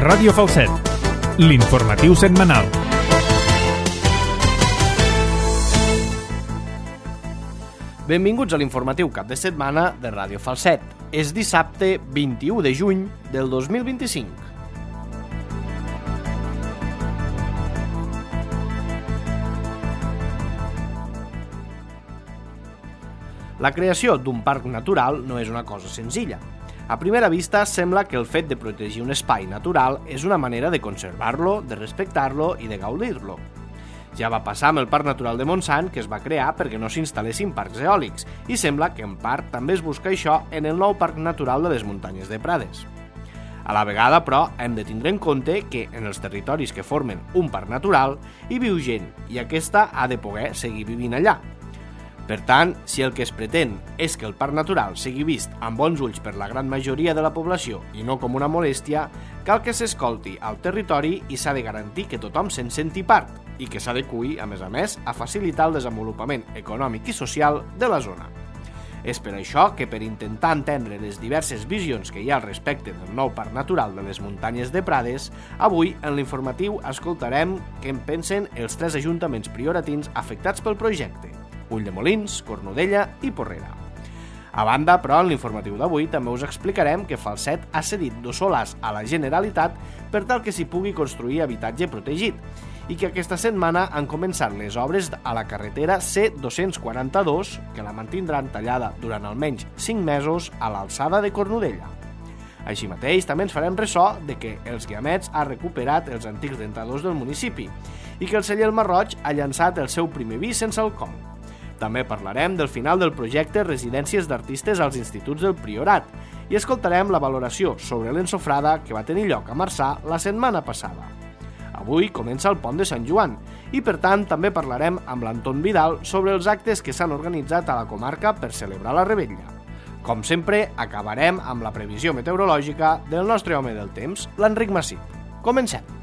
Ràdio Falset, l'informatiu setmanal. Benvinguts a l'informatiu cap de setmana de Ràdio Falset. És dissabte 21 de juny del 2025. La creació d'un parc natural no és una cosa senzilla. A primera vista, sembla que el fet de protegir un espai natural és una manera de conservar-lo, de respectar-lo i de gaudir-lo. Ja va passar amb el Parc Natural de Montsant, que es va crear perquè no s'instal·lessin parcs eòlics, i sembla que en part també es busca això en el nou Parc Natural de les Muntanyes de Prades. A la vegada, però, hem de tindre en compte que en els territoris que formen un parc natural hi viu gent i aquesta ha de poder seguir vivint allà. Per tant, si el que es pretén és que el parc natural sigui vist amb bons ulls per la gran majoria de la població i no com una molèstia, cal que s'escolti al territori i s'ha de garantir que tothom se'n senti part i que s'adeqüi, a més, a facilitar el desenvolupament econòmic i social de la zona. És per això que, per intentar entendre les diverses visions que hi ha al respecte del nou parc natural de les Muntanyes de Prades, avui, en l'informatiu, escoltarem què en pensen els 3 ajuntaments prioratins afectats pel projecte: Ulldemolins, Cornudella i Porrera. A banda, però, en l'informatiu d'avui també us explicarem que Falset ha cedit 2 solars a la Generalitat per tal que s'hi pugui construir habitatge protegit i que aquesta setmana han començat les obres a la carretera C242, que la mantindran tallada durant almenys 5 mesos a l'alçada de Cornudella. Així mateix, també ens farem ressò de que els Guiamets ha recuperat els antics rentadors del municipi i que el celler El Marroig ha llançat el seu primer vi sense alcohol. També parlarem del final del projecte Residències d'Artistes als Instituts del Priorat i escoltarem la valoració sobre l'ensofrada que va tenir lloc a Marçà la setmana passada. Avui comença el pont de Sant Joan i, per tant, també parlarem amb l'Anton Vidal sobre els actes que s'han organitzat a la comarca per celebrar la Revetlla. Com sempre, acabarem amb la previsió meteorològica del nostre home del temps, l'Enric Massip. Comencem!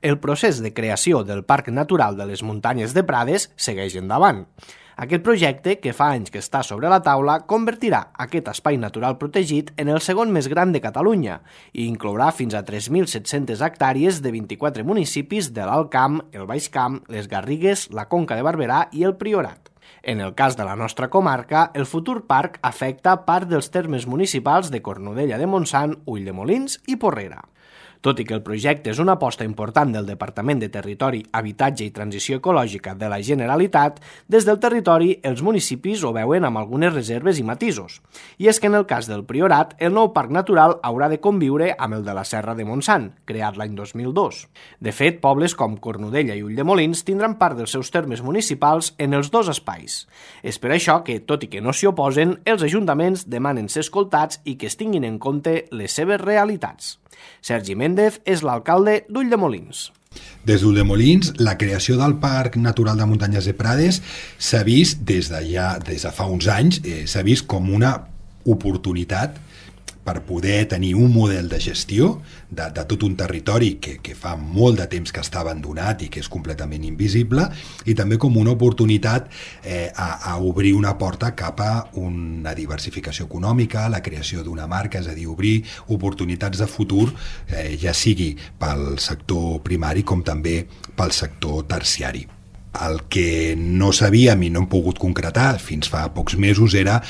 El procés de creació del Parc Natural de les Muntanyes de Prades segueix endavant. Aquest projecte, que fa anys que està sobre la taula, convertirà aquest espai natural protegit en el segon més gran de Catalunya i inclourà fins a 3.700 hectàrees de 24 municipis de l'Alt Camp, el Baix Camp, les Garrigues, la Conca de Barberà i el Priorat. En el cas de la nostra comarca, el futur parc afecta part dels termes municipals de Cornudella de Montsant, Ulldemolins i Porrera. Tot i que el projecte és una aposta important del Departament de Territori, Habitatge i Transició Ecològica de la Generalitat, des del territori els municipis ho veuen amb algunes reserves i matisos. I és que en el cas del Priorat, el nou parc natural haurà de conviure amb el de la Serra de Montsant, creat l'any 2002. De fet, pobles com Cornudella i Ulldemolins tindran part dels seus termes municipals en els 2 espais. És per això que, tot i que no s'hi oposen, els ajuntaments demanen ser escoltats i que es tinguin en compte les seves realitats. Sergi Méndez és l'alcalde d'Ulldemolins. Des d'Ulldemolins, la creació del Parc Natural de Muntanyes de Prades s'ha vist des de fa uns anys, s'ha vist com una oportunitat per poder tenir un model de gestió de tot un territori que fa molt de temps que està abandonat i que és completament invisible, i també com una oportunitat a obrir una porta cap a una diversificació econòmica, la creació d'una marca, és a dir, obrir oportunitats de futur, ja sigui pel sector primari com també pel sector terciari. El que no sabíem i no hem pogut concretar fins fa pocs mesos era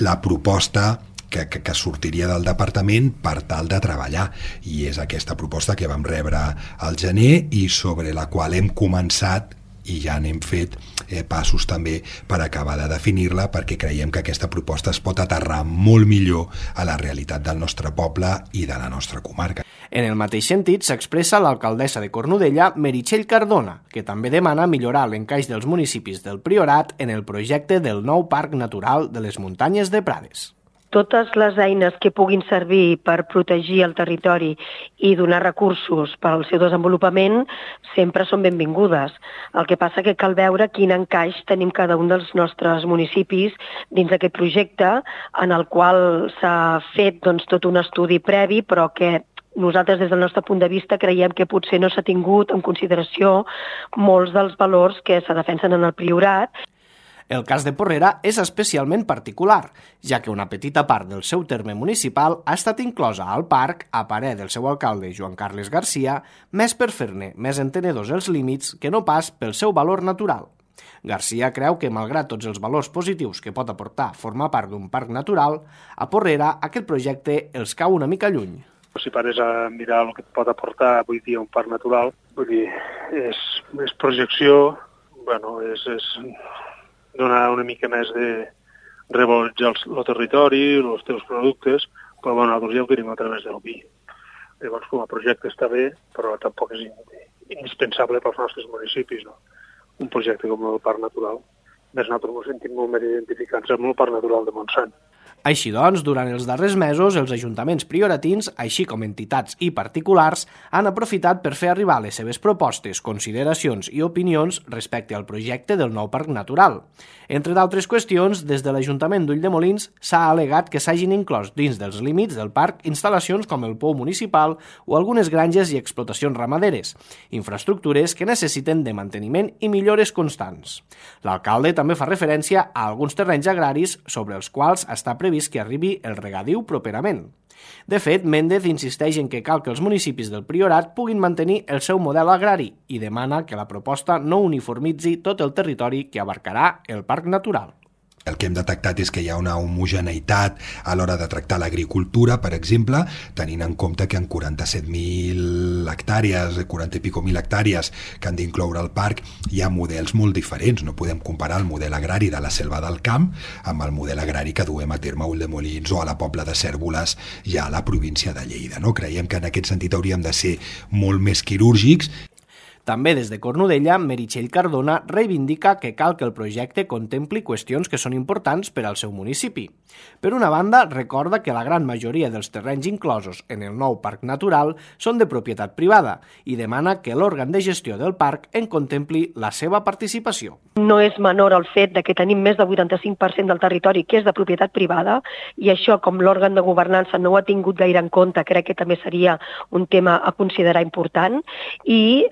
la proposta que sortiria del departament per tal de treballar, i és aquesta proposta que vam rebre al gener i sobre la qual hem començat i ja n'hem fet passos també per acabar de definir-la, perquè creiem que aquesta proposta es pot aterrar molt millor a la realitat del nostre poble i de la nostra comarca. En el mateix sentit s'expressa l'alcaldessa de Cornudella, Meritxell Cardona, que també demana millorar l'encaix dels municipis del Priorat en el projecte del nou Parc Natural de les Muntanyes de Prades. Totes les eines que puguin servir per protegir el territori i donar recursos per al seu desenvolupament sempre són benvingudes. El que passa que cal veure quin encaix tenim cada un dels nostres municipis dins d'aquest projecte, en el qual s'ha fet tot un estudi previ, però que nosaltres, des del nostre punt de vista, creiem que potser no s'ha tingut en consideració molts dels valors que se defensen en el Priorat. El cas de Porrera és especialment particular, ja que una petita part del seu terme municipal ha estat inclosa al parc, a parer del seu alcalde Joan Carles Garcia, més per fer-ne més entenedors els límits que no pas pel seu valor natural. Garcia creu que, malgrat tots els valors positius que pot aportar formar part d'un parc natural, a Porrera aquest projecte els cau una mica lluny. Si pares a mirar el que et pot aportar avui dia un parc natural, vull dir, és projecció, és donar una mica més de revaloritzar el territori, els teus productes, però nosaltres ja ho tenim a través del vi. Llavors, com a projecte està bé, però tampoc és indispensable pels nostres municipis, no? Un projecte com el Parc Natural. Més nosaltres ens sentim molt més identificats amb el Parc Natural de Montsant. Així doncs, durant els darrers mesos, els ajuntaments prioratins, així com entitats i particulars, han aprofitat per fer arribar les seves propostes, consideracions i opinions respecte al projecte del nou parc natural. Entre d'altres qüestions, des de l'Ajuntament d'Ulldemolins s'ha al·legat que s'hagin inclòs dins dels límits del parc instal·lacions com el pou municipal o algunes granges i explotacions ramaderes, infraestructures que necessiten de manteniment i millores constants. L'alcalde també fa referència a alguns terrenys agraris sobre els quals està previst que arribi el regadiu properament. De fet, Méndez insisteix en que cal que els municipis del Priorat puguin mantenir el seu model agrari i demana que la proposta no uniformitzi tot el territori que abarcarà el parc natural. El que hem detectat és que hi ha una homogeneïtat a l'hora de tractar l'agricultura, per exemple, tenint en compte que en 47.000 hectàrees, 40 i pico mil hectàrees que han d'incloure el parc, hi ha models molt diferents. No podem comparar el model agrari de la Selva del Camp amb el model agrari que duem a terme a Ulldemolins o a la Pobla de Cérvoles, ja a la província de Lleida. No? Creiem que en aquest sentit hauríem de ser molt més quirúrgics. També des de Cornudella, Meritxell Cardona reivindica que cal que el projecte contempli qüestions que són importants per al seu municipi. Per una banda, recorda que la gran majoria dels terrenys inclosos en el nou parc natural són de propietat privada i demana que l'òrgan de gestió del parc en contempli la seva participació. No és menor el fet de que tenim més del 85% del territori que és de propietat privada i això, com l'òrgan de governança no ho ha tingut gaire en compte, crec que també seria un tema a considerar important i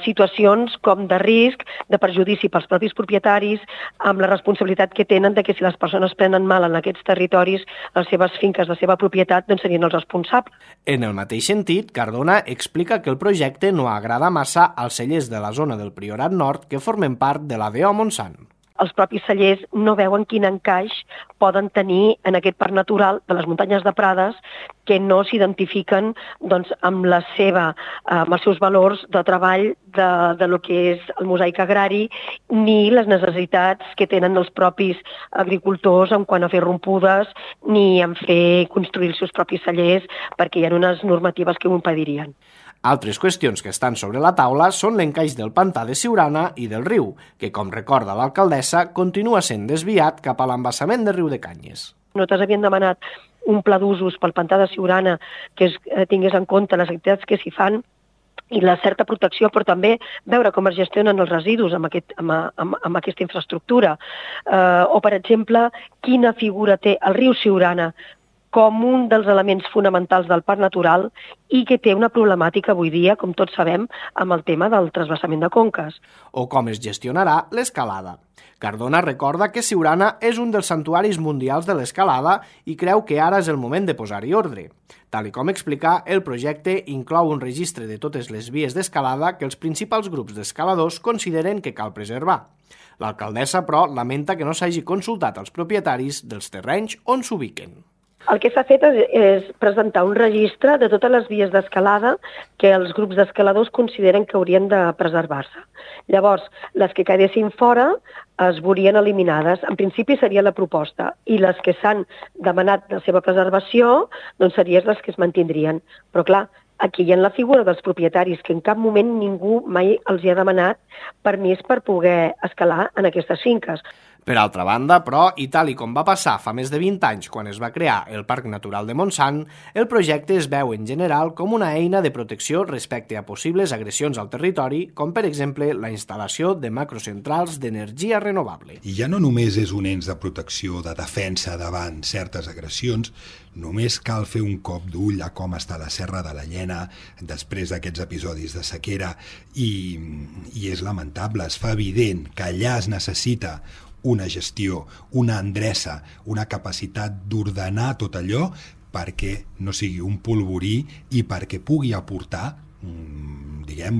situacions com de risc, de perjudici pels propis propietaris, amb la responsabilitat que tenen de que si les persones prenen mal en aquests territoris, les seves finques, la seva propietat, doncs serien els responsables. En el mateix sentit, Cardona explica que el projecte no agrada massa als cellers de la zona del Priorat Nord que formen part de la DO Montsant. Els propis cellers no veuen quin encaix poden tenir en aquest parc natural de les muntanyes de Prades que no s'identifiquen doncs, amb els seus valors de treball de lo que és el mosaic agrari ni les necessitats que tenen els propis agricultors en quant a fer rompudes ni en fer construir els seus propis cellers perquè hi ha unes normatives que ho impedirien. Altres qüestions que estan sobre la taula són l'encaix del pantà de Siurana i del riu, que, com recorda l'alcaldessa, continua sent desviat cap a l'embassament de Riudecanyes. Nosaltres havíem demanat un pla d'usos pel pantà de Siurana que tingués en compte les activitats que s'hi fan i la certa protecció, però també veure com es gestionen els residus amb aquesta infraestructura. O, per exemple, quina figura té el riu Siurana com un dels elements fonamentals del parc natural i que té una problemàtica avui dia, com tots sabem, amb el tema del transvasament de conques. O com es gestionarà l'escalada. Cardona recorda que Siurana és un dels santuaris mundials de l'escalada i creu que ara és el moment de posar-hi ordre. Tal com explica, el projecte inclou un registre de totes les vies d'escalada que els principals grups d'escaladors consideren que cal preservar. L'alcaldessa, però, lamenta que no s'hagi consultat als propietaris dels terrenys on s'ubiquen. El que s'ha fet és presentar un registre de totes les vies d'escalada que els grups d'escaladors consideren que haurien de preservar-se. Llavors, les que quedessin fora es veurien eliminades. En principi seria la proposta i les que s'han demanat la seva preservació doncs serien les que es mantindrien. Però clar, aquí hi ha la figura dels propietaris que en cap moment ningú mai els hi ha demanat permís per poder escalar en aquestes finques. Per altra banda, però, i tal i com va passar fa més de 20 anys quan es va crear el Parc Natural de Montsant, el projecte es veu en general com una eina de protecció respecte a possibles agressions al territori, com per exemple la instal·lació de macrocentrals d'energia renovable. I ja no només és un ens de protecció, de defensa davant certes agressions, només cal fer un cop d'ull a com està la Serra de la Llena després d'aquests episodis de sequera i és lamentable, es fa evident que allà es necessita una gestió, una endreça, una capacitat d'ordenar tot allò perquè no sigui un polvorí i perquè pugui aportar,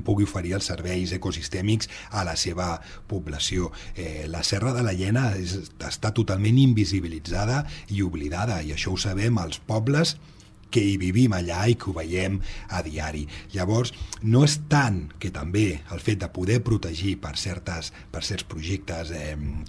pugui oferir els serveis ecosistèmics a la seva població. La Serra de la Llena està totalment invisibilitzada i oblidada, i això ho sabem els pobles que hi vivim allà i que ho veiem a diari. Llavors, no és tant que també el fet de poder protegir per certs projectes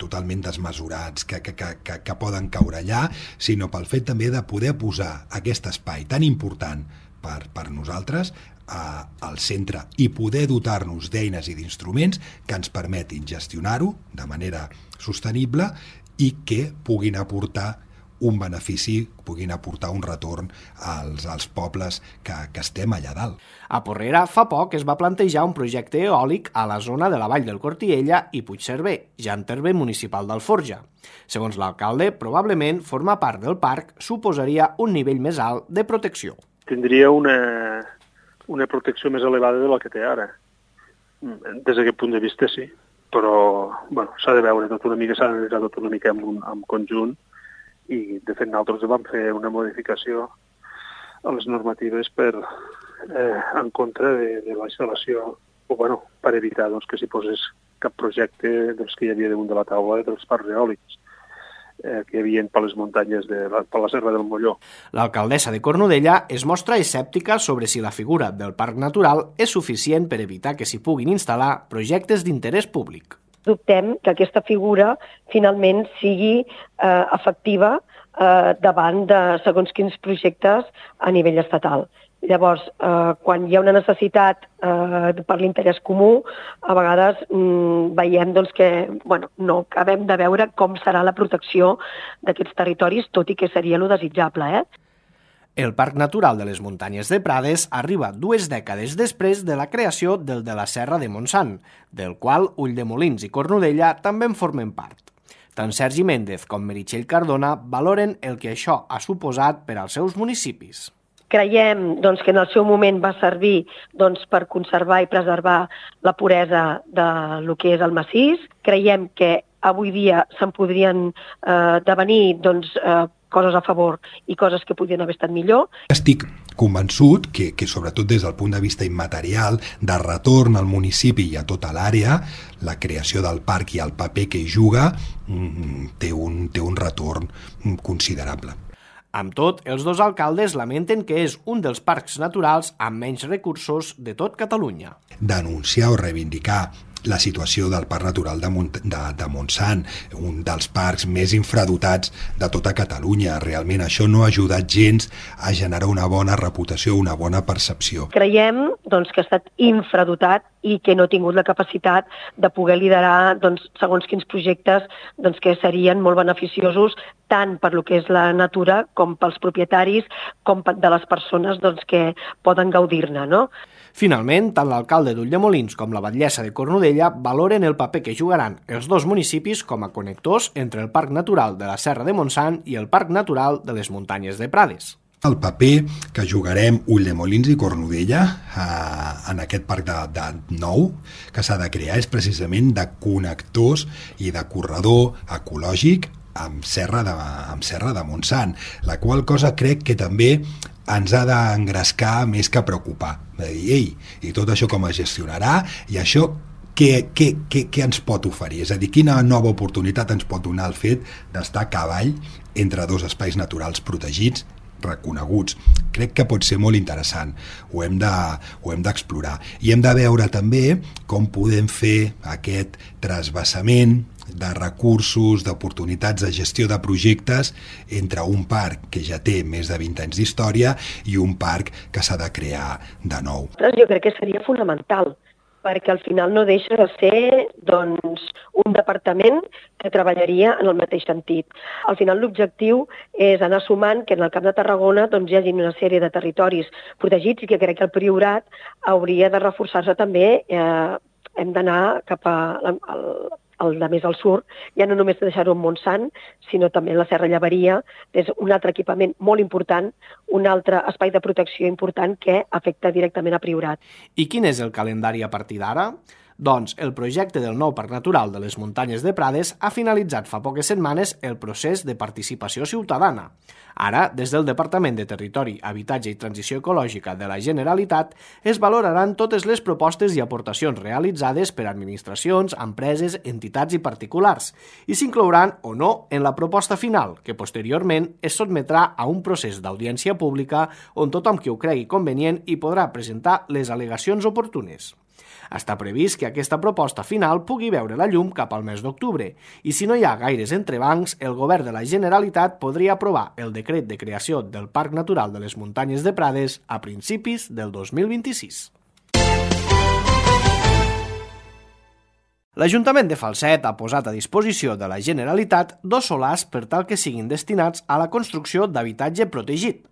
totalment desmesurats que poden caure allà, sinó pel fet també de poder posar aquest espai tan important per nosaltres al centre i poder dotar-nos d'eines i d'instruments que ens permetin gestionar-ho de manera sostenible i que puguin aportar un benefici, puguin aportar un retorn als pobles que estem allà dalt. A Porrera fa poc es va plantejar un projecte eòlic a la zona de la Vall del Cortiella i Puigcerver, ja en terme municipal d'Alforja. Segons l'alcalde, probablement formar part del parc suposaria un nivell més alt de protecció. Tindria una protecció més elevada de la que té ara. Des d'aquest punt de vista, sí. Però s'ha de veure tot una mica, s'ha d'analitzar tot una mica en conjunt, i de fet nosaltres vam fer una modificació a les normatives en contra de la instal·lació, per evitar que s'hi posés cap projecte dels que hi havia damunt de la taula dels parcs eòlics que hi havia per les muntanyes per la Serra del Molló. L'alcaldessa de Cornudella es mostra escèptica sobre si la figura del parc natural és suficient per evitar que s'hi puguin instal·lar projectes d'interès públic. Dubtem que aquesta figura finalment sigui efectiva davant de segons quins projectes a nivell estatal. Llavors, quan hi ha una necessitat per l'interès comú, a vegades veiem que no acabem de veure com serà la protecció d'aquests territoris, tot i que seria lo desitjable. El Parc Natural de les Muntanyes de Prades arriba 2 dècades després de la creació del de la Serra de Montsant, del qual Ulldemolins i Cornudella també en formen part. Tant Sergi Méndez com Meritxell Cardona valoren el que això ha suposat per als seus municipis. Creiem que en el seu moment va servir per conservar i preservar la puresa del que és el massís. Creiem que avui dia se'n podrien devenir coses a favor i coses que podrien haver estat millor. Estic convençut que sobretot des del punt de vista immaterial, de retorn al municipi i a tota l'àrea, la creació del parc i el paper que hi juga té un retorn considerable. Amb tot, els dos alcaldes lamenten que és un dels parcs naturals amb menys recursos de tot Catalunya. Denunciar o reivindicar la situació del Parc Natural de Montsant, un dels parcs més infradotats de tota Catalunya. Realment això no ha ajudat gens a generar una bona reputació, una bona percepció. Creiem que ha estat infradotat i que no ha tingut la capacitat de poder liderar segons quins projectes que serien molt beneficiosos tant per lo que és la natura com pels propietaris com de les persones que poden gaudir-ne, no? Finalment, tant l'alcalde d'Ulldemolins com la batllessa de Cornudella valoren el paper que jugaran els dos municipis com a connectors entre el Parc Natural de la Serra de Montsant i el Parc Natural de les Muntanyes de Prades. El paper que jugarem Ulldemolins i Cornudella en aquest parc nou que s'ha de crear és precisament de connectors i de corredor ecològic amb Serra de Montsant, la qual cosa crec que també ens ha d'engrescar més que preocupar. De dir, i tot això com es gestionarà, i això què ens pot oferir? És a dir, quina nova oportunitat ens pot donar el fet d'estar a cavall entre dos espais naturals protegits, reconeguts. Crec que pot ser molt interessant. Ho hem d'explorar. I hem de veure també com podem fer aquest trasbassament de recursos, d'oportunitats de gestió de projectes entre un parc que ja té més de 20 anys d'història i un parc que s'ha de crear de nou. Jo crec que seria fonamental, perquè al final no deixa de ser un departament que treballaria en el mateix sentit. Al final l'objectiu és anar sumant que en el Camp de Tarragona hi hagi una sèrie de territoris protegits i que crec que el Priorat hauria de reforçar-se també. Hem d'anar cap de més al sud, ja no només deixar-ho en Montsant, sinó també en la Serra Llevaria, és un altre equipament molt important, un altre espai de protecció important que afecta directament a Priorat. I quin és el calendari a partir d'ara? Doncs el projecte del nou Parc Natural de les Muntanyes de Prades ha finalitzat fa poques setmanes el procés de participació ciutadana. Ara, des del Departament de Territori, Habitatge i Transició Ecològica de la Generalitat, es valoraran totes les propostes i aportacions realitzades per administracions, empreses, entitats i particulars, i s'inclouran o no en la proposta final, que posteriorment es sotmetrà a un procés d'audiència pública on tothom qui ho cregui convenient hi podrà presentar les al·legacions oportunes. Està previst que aquesta proposta final pugui veure la llum cap al mes d'octubre i si no hi ha gaires entrebancs, el govern de la Generalitat podria aprovar el decret de creació del Parc Natural de les Muntanyes de Prades a principis del 2026. L'Ajuntament de Falset ha posat a disposició de la Generalitat 2 solars per tal que siguin destinats a la construcció d'habitatge protegit.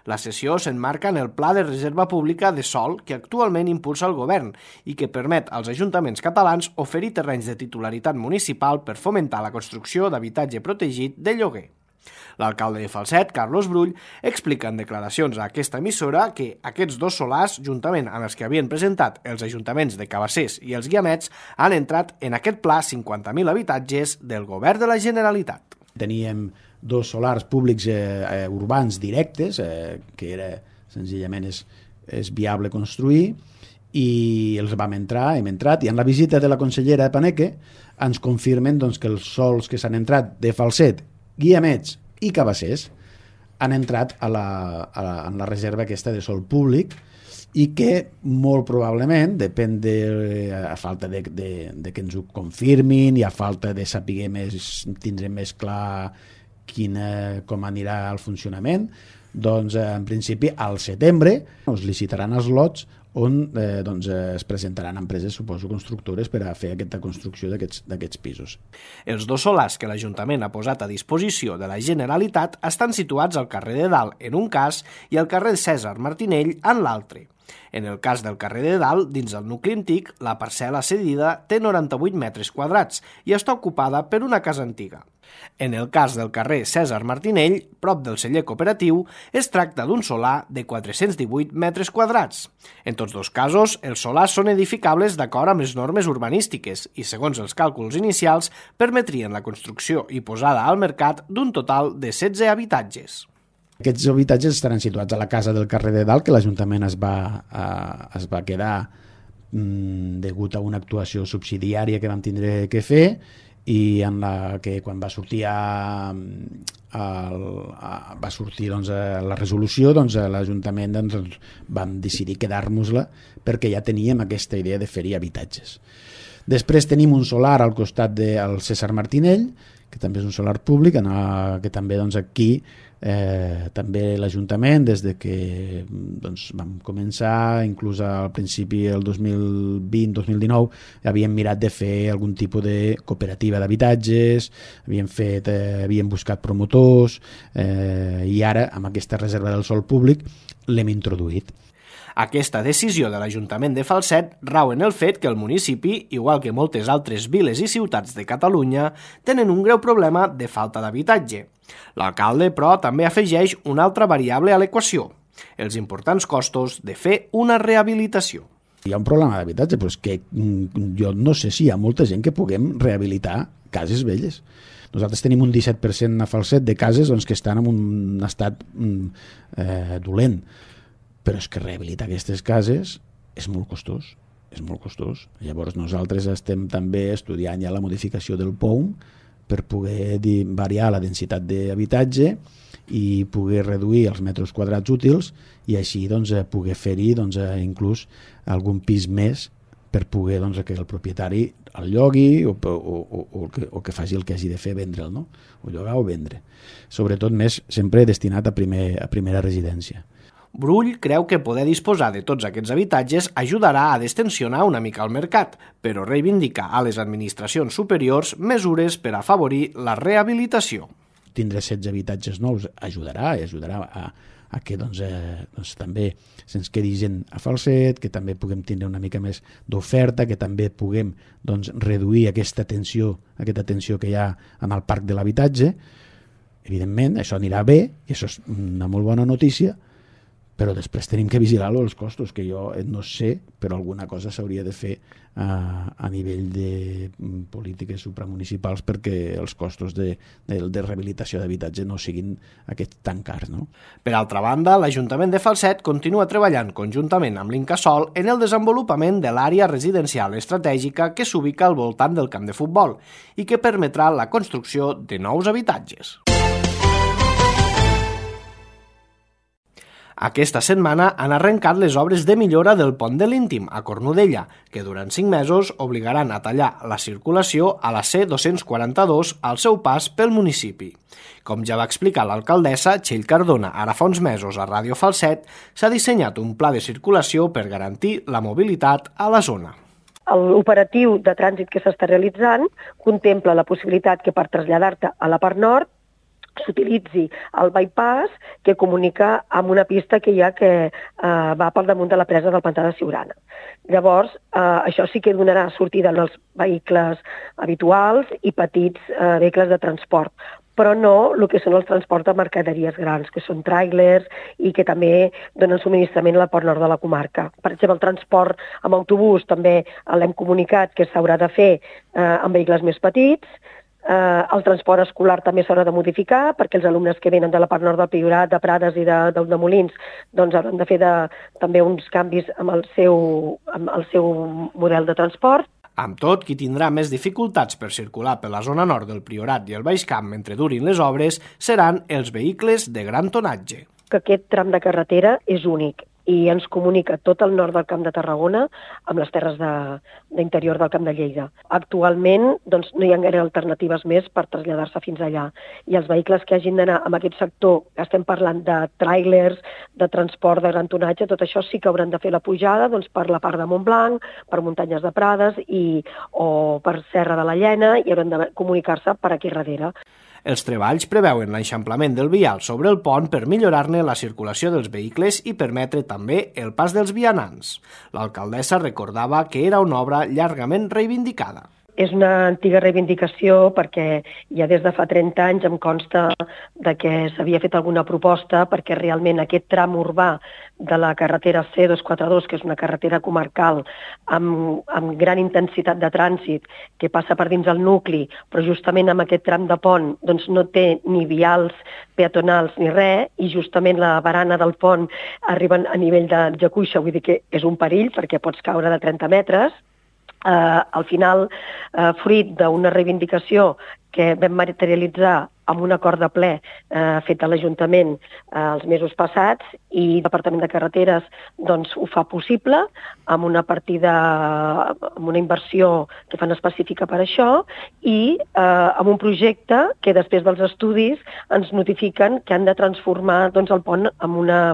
La cessió s'emmarca en el Pla de Reserva Pública de Sòl que actualment impulsa el govern i que permet als ajuntaments catalans oferir terrenys de titularitat municipal per fomentar la construcció d'habitatge protegit de lloguer. L'alcalde de Falset, Carlos Brull, explica en declaracions a aquesta emissora que aquests 2 solars, juntament amb els que havien presentat els ajuntaments de Cabassers i els Guiamets, han entrat en aquest pla 50.000 habitatges del govern de la Generalitat. Teníem 2 solars públics urbans directes, que era senzillament és viable construir, i els hem entrat, i en la visita de la consellera Paneque ens confirmen doncs, que els sols que s'han entrat de Falset, Guiamets i Cabassers han entrat en la reserva aquesta de sòl públic i que molt probablement, depèn a falta de que ens ho confirmin i a falta de saber tindrem més clar com anirà el funcionament, doncs en principi al setembre es licitaran els lots on es presentaran empreses, suposo, constructores per a fer aquesta construcció d'aquests pisos. Els 2 solars que l'Ajuntament ha posat a disposició de la Generalitat estan situats al carrer de Dalt en un cas i al carrer Cèsar Martinell en l'altre. En el cas del carrer de Dalt, dins del nucli antic, la parcel·la cedida té 98 metres quadrats i està ocupada per una casa antiga. En el cas del carrer Cèsar Martinell, prop del celler cooperatiu, es tracta d'un solar de 418 metres quadrats. En tots 2 casos, els solars són edificables d'acord amb les normes urbanístiques i, segons els càlculs inicials, permetrien la construcció i posada al mercat d'un total de 16 habitatges. Aquests habitatges estaran situats a la casa del carrer de Dalt, que l'Ajuntament es va quedar degut a una actuació subsidiària que vam tindre que fer i en la que quan va sortir la resolució, l'Ajuntament vam decidir quedar-nos-la perquè ja teníem aquesta idea de fer-hi habitatges. Després tenim un solar al costat del Cèsar Martinell, que també és un solar públic, que també aquí també l'Ajuntament, des de que vam començar, inclús al principi del 2020-2019, havíem mirat de fer algun tipus de cooperativa d'habitatges, havíem buscat promotors, i ara, amb aquesta reserva del sòl públic, l'hem introduït. Aquesta decisió de l'Ajuntament de Falset rau en el fet que el municipi, igual que moltes altres viles i ciutats de Catalunya, tenen un greu problema de falta d'habitatge. L'alcalde, però, també afegeix una altra variable a l'equació, els importants costos de fer una rehabilitació. Hi ha un problema d'habitatge, però és que jo no sé si hi ha molta gent que puguem rehabilitar cases velles. Nosaltres tenim un 17% a Falset de cases que estan en un estat dolent, però és que rehabilitar aquestes cases és molt costós. Llavors nosaltres estem també estudiant ja la modificació del POUM per poder variar la densitat d'habitatge i poder reduir els metres quadrats útils i així poder fer-hi inclús algun pis més per poder que el propietari el llogui o que faci el que hagi de fer, vendre'l, no? O llogar o vendre. Sobretot més sempre destinat a primera residència. Brull creu que poder disposar de tots aquests habitatges ajudarà a destensionar una mica el mercat, però reivindica a les administracions superiors mesures per afavorir la rehabilitació. Tindre 16 habitatges nous ajudarà a que també se'ns quedi gent a Falset, que també puguem tindre una mica més d'oferta, que també puguem reduir aquesta tensió que hi ha en el parc de l'habitatge. Evidentment, això anirà bé, i això és una molt bona notícia, però després tenim que vigilar els costos, que jo no sé, però alguna cosa s'hauria de fer a nivell de polítiques supramunicipals perquè els costos de rehabilitació d'habitatge no siguin aquests tan cars, no? Per altra banda, l'Ajuntament de Falset continua treballant conjuntament amb l'Incasòl en el desenvolupament de l'àrea residencial estratègica que s'ubica al voltant del camp de futbol i que permetrà la construcció de nous habitatges. Aquesta setmana han arrencat les obres de millora del pont de l'Íntim a Cornudella, que durant 5 mesos obligaran a tallar la circulació a la C242 al seu pas pel municipi. Com ja va explicar l'alcaldessa Txell Cardona ara fa uns mesos a Ràdio Falset, s'ha dissenyat un pla de circulació per garantir la mobilitat a la zona. L'operatiu de trànsit que s'està realitzant contempla la possibilitat que per traslladar-te a la part nord s'utilitzi el bypass que comunica amb una pista que hi ha que va pel damunt de la presa del pantà de Siurana. Llavors, això sí que donarà sortida als vehicles habituals i petits vehicles de transport, però no el que són els transports de mercaderies grans, que són tràilers i que també donen subministrament a la part nord de la comarca. Per exemple, el transport amb autobús també l'hem comunicat que s'haurà de fer amb vehicles més petits. El transport escolar també s'haurà de modificar perquè els alumnes que venen de la part nord del Priorat, de Prades i de Molins doncs hauran de fer també uns canvis amb el seu model de transport. Amb tot, qui tindrà més dificultats per circular per la zona nord del Priorat i el Baix Camp mentre durin les obres seran els vehicles de gran tonatge. Que aquest tram de carretera és únic i ens comunica tot el nord del Camp de Tarragona amb les terres d'interior del Camp de Lleida. Actualment doncs, no hi ha gaire alternatives més per traslladar-se fins allà. I els vehicles que hagin d'anar en aquest sector, que estem parlant de tràilers, de transport de gran tonatge, tot això sí que hauran de fer la pujada doncs, per la part de Montblanc, per muntanyes de Prades o per Serra de la Llena i hauran de comunicar-se per aquí darrere. Els treballs preveuen l'eixamplament del vial sobre el pont per millorar-ne la circulació dels vehicles i permetre també el pas dels vianants. L'alcaldessa recordava que era una obra llargament reivindicada. És una antiga reivindicació perquè ja des de fa 30 anys em consta que s'havia fet alguna proposta perquè realment aquest tram urbà de la carretera C242, que és una carretera comarcal amb gran intensitat de trànsit que passa per dins el nucli, però justament amb aquest tram de pont doncs no té ni vials peatonals ni res i justament la barana del pont arriba a nivell de jacuixa, vull dir que és un perill perquè pots caure de 30 metres. Al final, fruit d'una reivindicació que vam materialitzar amb un acord de ple fet a l'Ajuntament els mesos passats i el Departament de Carreteres doncs, ho fa possible amb una partida, amb una inversió que fan específica per això i amb un projecte que després dels estudis ens notifiquen que han de transformar doncs, el pont amb una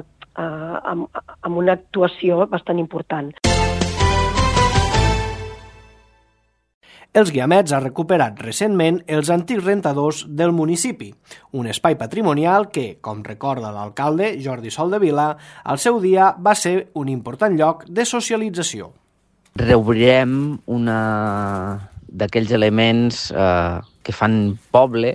actuació bastant important. Els Guiamets ha recuperat recentment els antics rentadors del municipi, un espai patrimonial que, com recorda l'alcalde Jordi Soldevila, al seu dia va ser un important lloc de socialització. Reobrirem una d'aquells elements que fan poble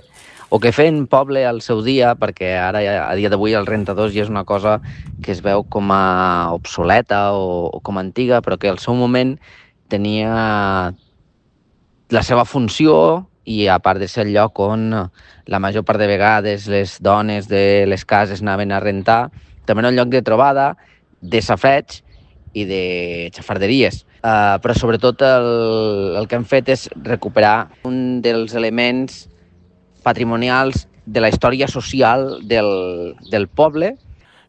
o que feien poble al seu dia, perquè ara a dia d'avui els rentadors ja és una cosa que es veu com a obsoleta o com a antiga, però que al seu moment tenia la seva funció i a part de ser el lloc on la major part de vegades les dones de les cases anaven a rentar, també era un lloc de trobada, de safreig i de xafarderies. Però sobretot el que hem fet és recuperar un dels elements patrimonials de la història social del poble.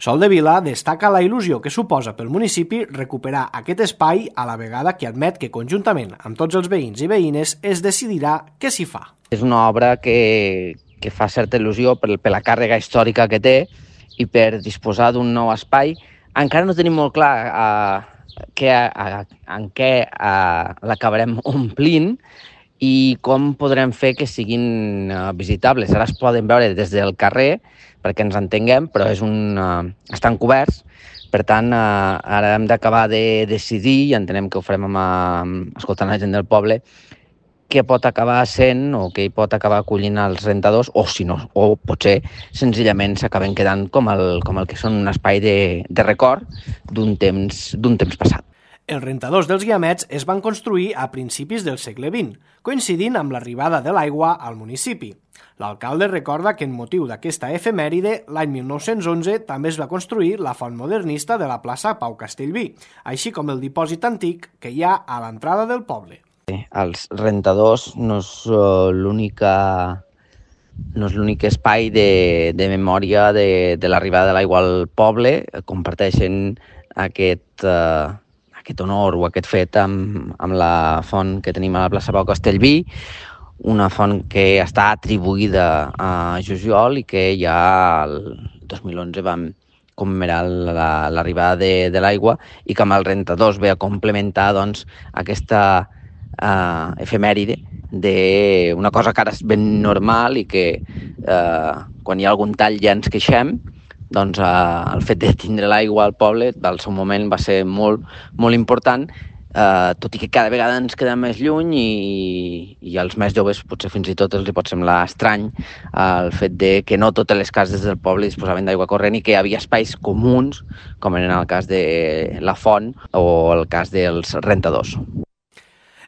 Soldevila destaca la il·lusió que suposa pel municipi recuperar aquest espai a la vegada que admet que conjuntament amb tots els veïns i veïnes es decidirà què s'hi fa. És una obra que fa certa il·lusió per la càrrega històrica que té i per disposar d'un nou espai. Encara no tenim molt clar en què l'acabarem omplint i com podrem fer que siguin visitables. Ara es poden veure des del carrer, perquè ens entenguem, però estan coberts. Per tant, ara hem d'acabar de decidir, i entenem que ho farem escoltant la gent del poble, què pot acabar sent o què hi pot acabar acollint els rentadors, o si no, o potser senzillament s'acaben quedant com el que són un espai de record d'un temps passat. Els rentadors dels Guiamets es van construir a principis del segle XX, coincidint amb l'arribada de l'aigua al municipi. L'alcalde recorda que en motiu d'aquesta efemèride, l'any 1911 també es va construir la font modernista de la plaça Pau Castellví, així com el dipòsit antic que hi ha a l'entrada del poble. Els rentadors no és l'únic espai de memòria de l'arribada de l'aigua al poble. Comparteixen aquest honor o aquest fet amb la font que tenim a la plaça Pau Castellví, una font que està atribuïda a Jusiol i que ja el 2011 vam commemorar l'arribada de l'aigua, i que amb els rentadors ve a complementar doncs, aquesta efemèride d'una cosa que ara és ben normal i que quan hi ha algun tall ja ens queixem. Doncs el fet de tindre l'aigua al poble al seu moment va ser molt, molt important, tot i que cada vegada ens queda més lluny i als més joves potser fins i tot els hi pot semblar estrany el fet de que no totes les cases del poble disposaven d'aigua corrent i que hi havia espais comuns, com en el cas de la font o el cas dels rentadors.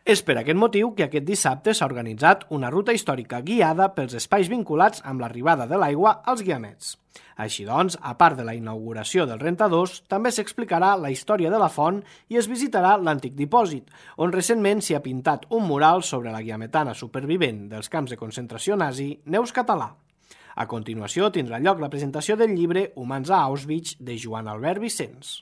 És per aquest motiu que aquest dissabte s'ha organitzat una ruta històrica guiada pels espais vinculats amb l'arribada de l'aigua als Guiamets. Així doncs, a part de la inauguració dels rentadors, també s'explicarà la història de la font i es visitarà l'antic dipòsit, on recentment s'hi ha pintat un mural sobre la guiametana supervivent dels camps de concentració nazi, Neus Català. A continuació tindrà lloc la presentació del llibre Humans a Auschwitz de Joan Albert Vicenç.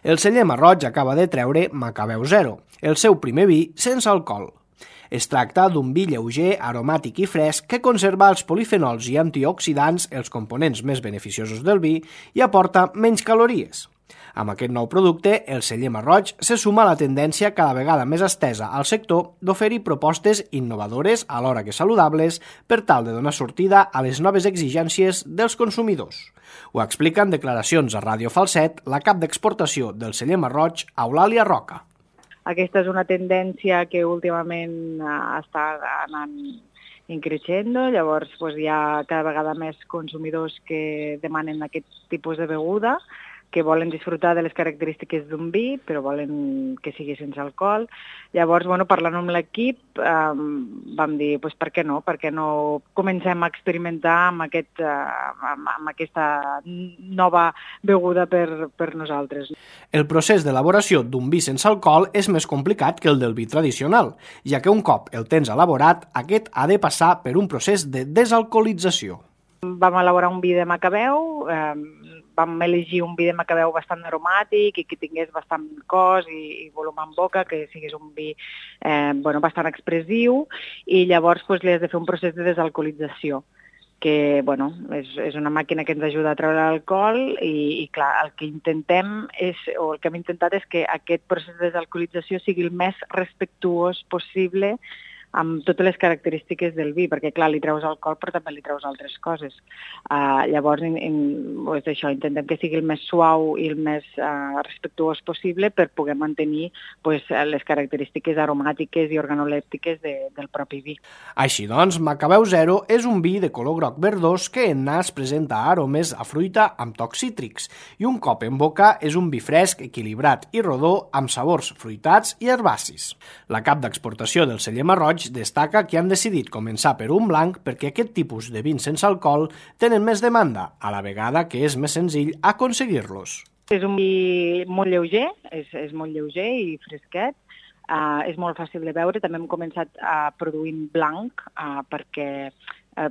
El celler Marroig acaba de treure Macabeu Zero, el seu primer vi sense alcohol. Es tracta d'un vi lleuger, aromàtic i fresc que conserva els polifenols i antioxidants, els components més beneficiosos del vi, i aporta menys calories. Amb aquest nou producte, el celler Marroig se suma a la tendència cada vegada més estesa al sector d'oferir propostes innovadores, alhora que saludables, per tal de donar sortida a les noves exigències dels consumidors. Ho explica en declaracions a Ràdio Falset la cap d'exportació del celler Marroig, Eulàlia Roca. Aquesta és una tendència que últimament està anant increixendo, llavors hi ha cada vegada més consumidors que demanen aquest tipus de beguda, que volen disfrutar de les característiques d'un vi, però volen que sigui sense alcohol. Llavors, parlant amb l'equip, vam dir, per què no? Per què no comencem a experimentar amb aquesta nova beguda per nosaltres? El procés d'elaboració d'un vi sense alcohol és més complicat que el del vi tradicional, ja que un cop el tens elaborat, aquest ha de passar per un procés de desalcoholització. Vam elaborar un vi de Macabeu, vam elegir un vi de Macabeu bastant aromàtic i que tingués bastant cos i volum en boca, que sigués un vi bastant expressiu, i llavors li has de fer un procés de desalcoholització, que és una màquina que ens ajuda a treure l'alcohol i clar, el que intentem el que hem intentat és que aquest procés de desalcoholització sigui el més respectuós possible amb totes les característiques del vi, perquè clar, li treus alcohol però també li treus altres coses. Llavors, intentem que sigui el més suau i el més respectuós possible per poder mantenir les característiques aromàtiques i organolèptiques del propi vi. Així doncs, Macabeu Zero és un vi de color groc verdós que en nas presenta aromes a fruita amb tocs cítrics i un cop en boca és un vi fresc, equilibrat i rodó amb sabors fruitats i herbacis. La cap d'exportació del celler Marroig destaca que han decidit començar per un blanc perquè aquest tipus de vins sense alcohol tenen més demanda, a la vegada que és més senzill aconseguir-los. És un vi molt lleuger, és molt lleuger i fresquet, és molt fàcil de beure. També hem començat produint blanc perquè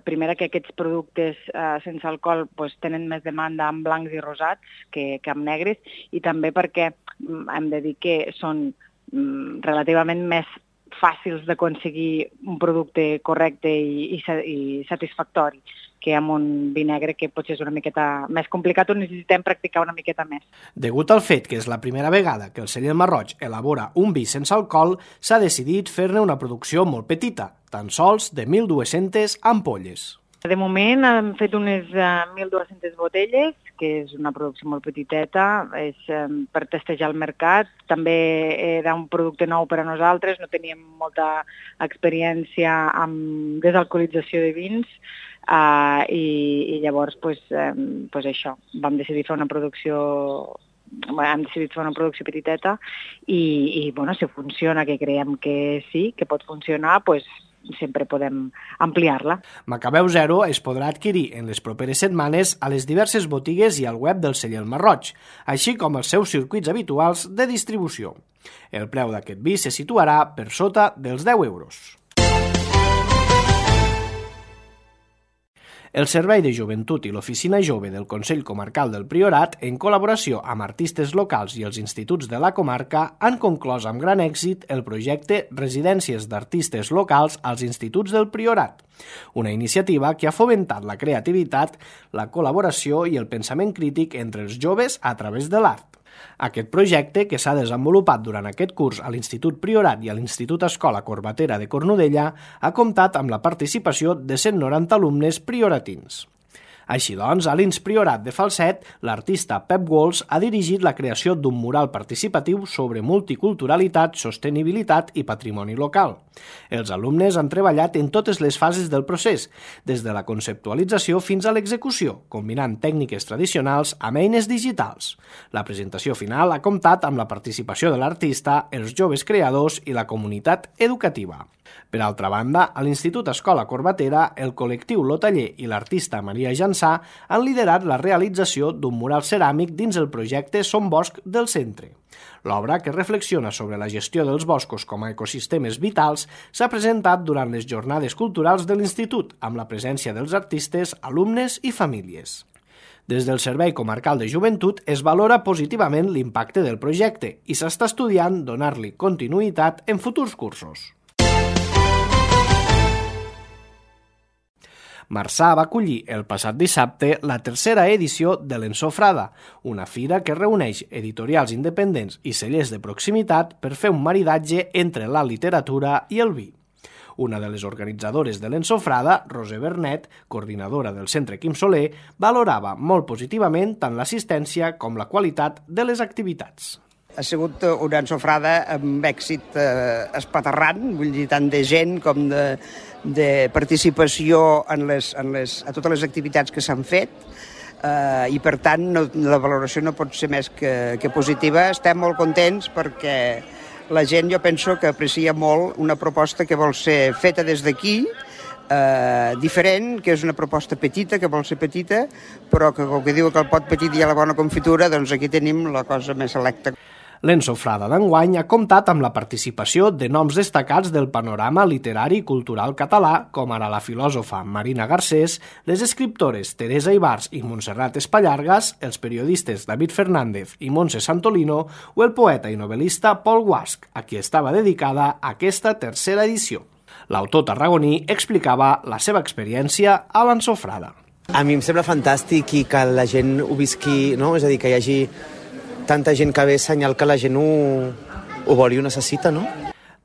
primer que aquests productes sense alcohol tenen més demanda en blancs i rosats que en negres, i també perquè hem de dir que són relativament més fàcils d'aconseguir un producte correcte i satisfactori que amb un vi negre que potser és una miqueta més complicat o necessitem practicar una miqueta més. Degut al fet que és la primera vegada que el celler Marroig elabora un vi sense alcohol, s'ha decidit fer-ne una producció molt petita, tan sols de 1.200 ampolles. De moment hem fet unes 1.200 botelles que és una producció molt petiteta, és per testejar el mercat. També era un producte nou per a nosaltres, no teníem molta experiència amb desalcoholització de vins, i llavors això, vam decidir fer una producció petiteta i si funciona, que creiem que sí, que pot funcionar, sempre podem ampliar-la. Macabeu Zero es podrà adquirir en les properes setmanes a les diverses botigues i al web del celler Marroig, així com els seus circuits habituals de distribució. El preu d'aquest vi se situarà per sota dels 10 euros. El Servei de Joventut i l'Oficina Jove del Consell Comarcal del Priorat, en col·laboració amb artistes locals i els instituts de la comarca, han conclòs amb gran èxit el projecte Residències d'Artistes Locals als Instituts del Priorat, una iniciativa que ha fomentat la creativitat, la col·laboració i el pensament crític entre els joves a través de l'art. Aquest projecte, que s'ha desenvolupat durant aquest curs a l'Institut Priorat i a l'Institut Escola Corbatera de Cornudella, ha comptat amb la participació de 190 alumnes prioratins. Així doncs, a l'Ins Priorat de Falset, l'artista Pep Walls ha dirigit la creació d'un mural participatiu sobre multiculturalitat, sostenibilitat i patrimoni local. Els alumnes han treballat en totes les fases del procés, des de la conceptualització fins a l'execució, combinant tècniques tradicionals amb eines digitals. La presentació final ha comptat amb la participació de l'artista, els joves creadors i la comunitat educativa. Per altra banda, a l'Institut Escola Corbatera, el col·lectiu Lotaller i l'artista Maria Jansà han liderat la realització d'un mural ceràmic dins el projecte Som Bosc del Centre. L'obra, que reflexiona sobre la gestió dels boscos com a ecosistemes vitals, s'ha presentat durant les jornades culturals de l'Institut, amb la presència dels artistes, alumnes i famílies. Des del Servei Comarcal de Joventut es valora positivament l'impacte del projecte i s'està estudiant donar-li continuïtat en futurs cursos. Marçà va acollir el passat dissabte la tercera edició de l'Ensofrada, una fira que reuneix editorials independents i cellers de proximitat per fer un maridatge entre la literatura i el vi. Una de les organitzadores de l'Ensofrada, Roser Bernet, coordinadora del Centre Quim Soler, valorava molt positivament tant l'assistència com la qualitat de les activitats. Ha sigut una ensofrada amb èxit espaterrant, vull dir, tant de gent com de participació a totes les activitats que s'han fet, i per tant la valoració no pot ser més que positiva. Estem molt contents perquè la gent, jo penso que aprecia molt una proposta que vol ser feta des d'aquí, diferent, que és una proposta petita, que vol ser petita, però que com que diu que el pot petit hi ha la bona confitura, doncs aquí tenim la cosa més selecta. L'Ensofrada d'enguany ha comptat amb la participació de noms destacats del panorama literari i cultural català, com ara la filòsofa Marina Garcés, les escriptores Teresa Ibars i Montserrat Espallargas, els periodistes David Fernández i Montse Santolino o el poeta i novel·lista Pol Guasch, a qui estava dedicada aquesta tercera edició. L'autor tarragoní explicava la seva experiència a l'Ensofrada. A mi em sembla fantàstic i que la gent ho visqui, no? És a dir, que hi hagi tanta gent que ve senyal que la gent ho vol i ho necessita, no?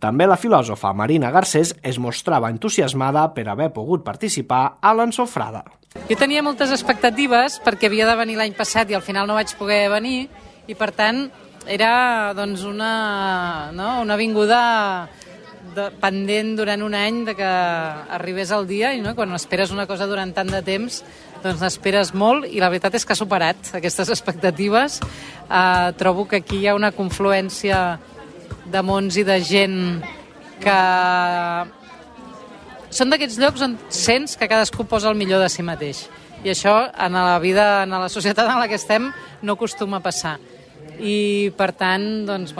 També la filòsofa Marina Garcés es mostrava entusiasmada per haver pogut participar a l'Ensofrada. Jo tenia moltes expectatives perquè havia de venir l'any passat i al final no vaig poder venir i per tant era doncs, una vinguda pendent durant un any de que arribés el dia i quan esperes una cosa durant tant de temps doncs n'esperes molt i la veritat és que ha superat aquestes expectatives. Trobo que aquí hi ha una confluència de mons i de gent que són d'aquests llocs on sents que cadascú posa el millor de si mateix i això en la vida, en la societat en la que estem no acostuma a passar i per tant doncs,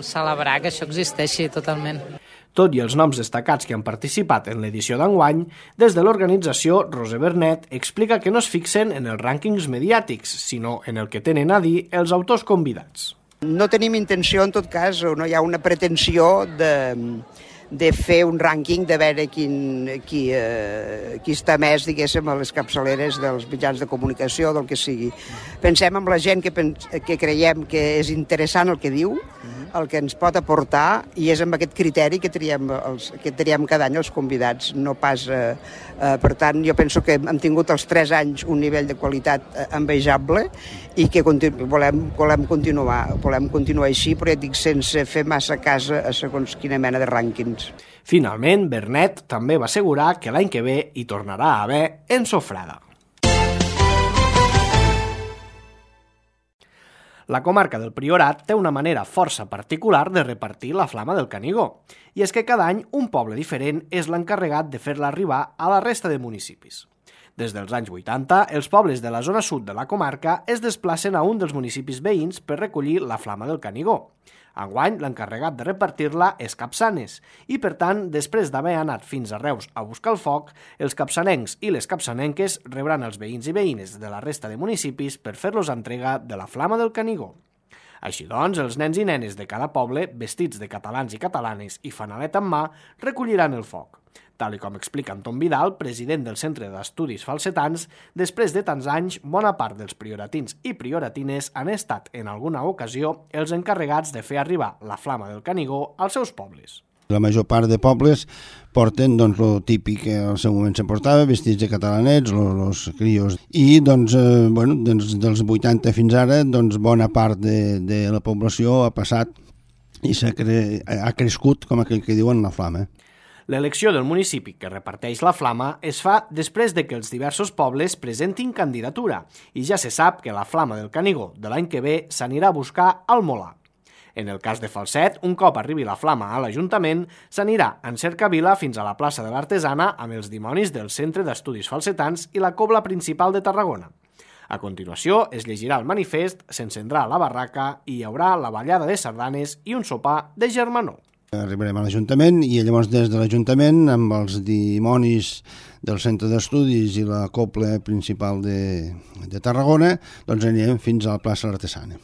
celebrar que això existeixi totalment. Tot i els noms destacats que han participat en l'edició d'enguany, des de l'organització Roser Bernet explica que no es fixen en els rànquings mediàtics, sinó en el que tenen a dir els autors convidats. No tenim intenció, en tot cas, o no hi ha una pretensió fer un rànquing de veure qui està més, diguéssim, a les capçaleres dels mitjans de comunicació, del que sigui. Pensem en la gent que creiem que és interessant el que diu, el que ens pot aportar, i és amb aquest criteri que triem cada any els convidats, no pas... per tant, jo penso que hem tingut els 3 anys un nivell de qualitat envejable i que volem continuar així, però ja dic, sense fer massa cas a segons quina mena de rànquings. Finalment, Bernet també va assegurar que l'any que ve hi tornarà a haver ensofrada. La comarca del Priorat té una manera força particular de repartir la flama del Canigó, i és que cada any un poble diferent és l'encarregat de fer-la arribar a la resta de municipis. Des dels anys 80, els pobles de la zona sud de la comarca es desplacen a un dels municipis veïns per recollir la flama del Canigó. Enguany, l'encarregat de repartir-la és Capçanes, i per tant, després d'haver anat fins a Reus a buscar el foc, els capçanencs i les capçanenques rebran els veïns i veïnes de la resta de municipis per fer-los entrega de la flama del Canigó. Així doncs, els nens i nenes de cada poble, vestits de catalans i catalanes i fanalet en mà, recolliran el foc. Tal com explica Anton Vidal, president del Centre d'Estudis Falsetans, després de tants anys, bona part dels prioratins i prioratines han estat, en alguna ocasió, els encarregats de fer arribar la flama del Canigó als seus pobles. La major part de pobles porten el típic que al seu moment se portava, vestits de catalanets, els crios. I dels 80 fins ara, bona part de la població ha passat i ha crescut, com aquell que diuen, la flama. L'elecció del municipi que reparteix la flama es fa després de que els diversos pobles presentin candidatura i ja se sap que la flama del Canigó de l'any que ve s'anirà a buscar al Molar. En el cas de Falset, un cop arribi la flama a l'Ajuntament, s'anirà en cercavila fins a la plaça de l'Artesana amb els dimonis del Centre d'Estudis Falsetans i la cobla principal de Tarragona. A continuació, es llegirà el manifest, s'encendrà la barraca i hi haurà la ballada de sardanes i un sopar de germanor. Arribarem a l'Ajuntament i llavors des de l'Ajuntament, amb els dimonis del Centre d'Estudis i la cobla principal de Tarragona, doncs anirem fins a la plaça Artesana.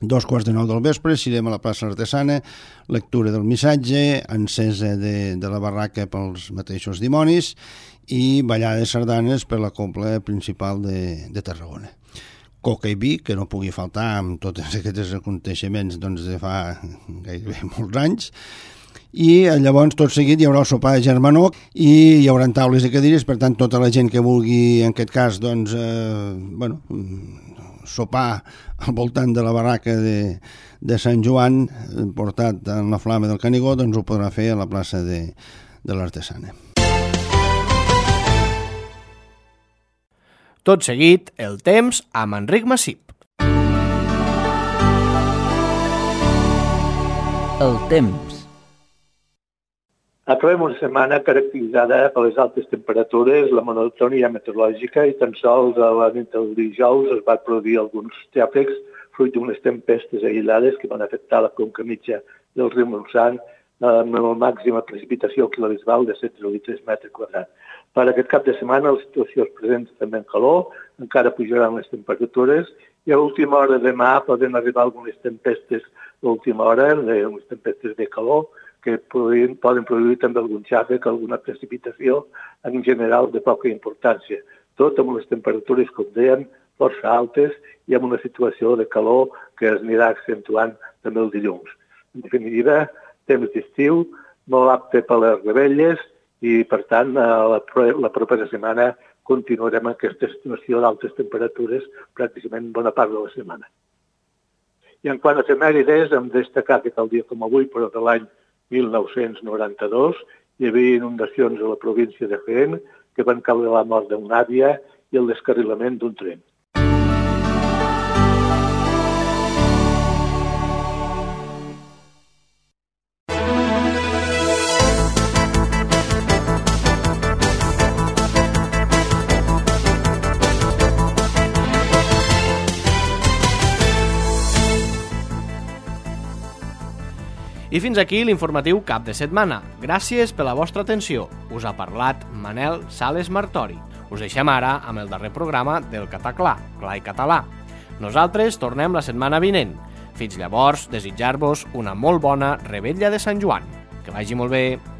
2:45 del vespre, irem a la plaça Artesana, lectura del missatge, encesa de la barraca pels mateixos dimonis i ballada de sardanes per la cobla principal de Tarragona. Coca i vi, que no pugui faltar amb tots aquests aconteixements de fa gairebé molts anys. I llavors, tot seguit, hi haurà el sopar de germanor i hi haurà taules i cadires, per tant, tota la gent que vulgui, en aquest cas, sopar al voltant de la barraca de Sant Joan, portat en la flama del Canigó, doncs ho podrà fer a la plaça de l'Artesana. Tot seguit, el temps amb Enric Massip. El temps. Acabem una setmana caracteritzada per les altes temperatures, la monotonia meteorològica i tan sols a la nit del dijous es van produir alguns xàfecs fruit d'unes tempestes aïllades que van afectar la conca mitja del riu Montsant amb la màxima precipitació quilobisbal de 16,3 metres quadrats. Per aquest cap de setmana la situació es presenta també en calor, encara pujaran les temperatures i a l'última hora de demà poden arribar algunes tempestes d'última hora, unes tempestes de calor, que poden produir també algun xàfec, alguna precipitació en general de poca importància. Tot amb les temperatures, com dèiem, força altes i amb una situació de calor que es anirà accentuant també el dilluns. En definitiva, temps d'estiu, molt apte per les rebelles i, per tant, la propera setmana continuarem amb aquesta situació d'altes temperatures pràcticament bona part de la setmana. I en quant a efemèrides, hem de destacar que tal dia com avui, però de l'any 1992, hi havia inundacions a la província de Jaén que van caure la mort d'una àvia i el descarrilament d'un tren. I fins aquí l'informatiu cap de setmana. Gràcies per la vostra atenció. Us ha parlat Manel Sales Martori. Us deixem ara amb el darrer programa del Cataclà, Clar i Català. Nosaltres tornem la setmana vinent. Fins llavors, desitjar-vos una molt bona revetlla de Sant Joan. Que vagi molt bé.